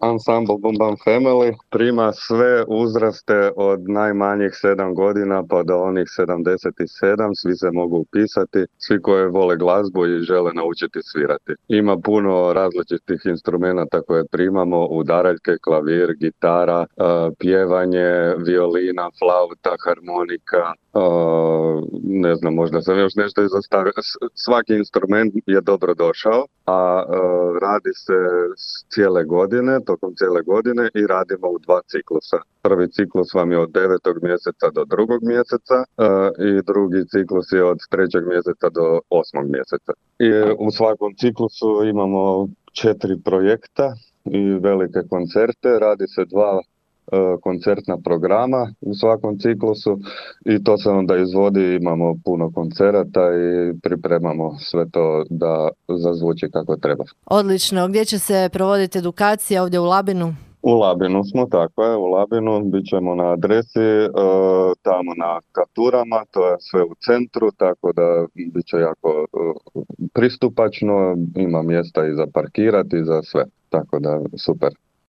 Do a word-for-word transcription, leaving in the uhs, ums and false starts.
Ensemble Boom Bam Family prima sve uzraste od najmanjih sedam godina pa do onih sedamdeset sedam, svi se mogu upisati, svi koji vole glazbu i žele naučiti svirati. Ima puno različitih instrumenata koje primamo, udaraljke, klavir, gitara, uh, pjevanje, violina, flauta, harmonika, uh, ne znam, možda sam još nešto izostavio. Svaki instrument je dobro došao, a uh, radi se cijele godine, tokom cijele godine i radimo u dva ciklusa. Prvi ciklus vam je od devetog mjeseca do drugog mjeseca uh, i drugi ciklus je od trećeg mjeseca do osmog mjeseca. I u svakom ciklusu imamo četiri projekta i velike koncerte. Radi se dva koncertna programa u svakom ciklusu i to se onda izvodi, imamo puno koncerata i pripremamo sve to da zazvuči kako treba. Odlično. Gdje će se provoditi edukacija? Ovdje u Labinu? U Labinu smo, tako je, u Labinu, bit ćemo na adresi, e, tamo na Kapturama, to je sve u centru, tako da bit će jako e, pristupačno, ima mjesta i za parkirati i za sve, tako da super.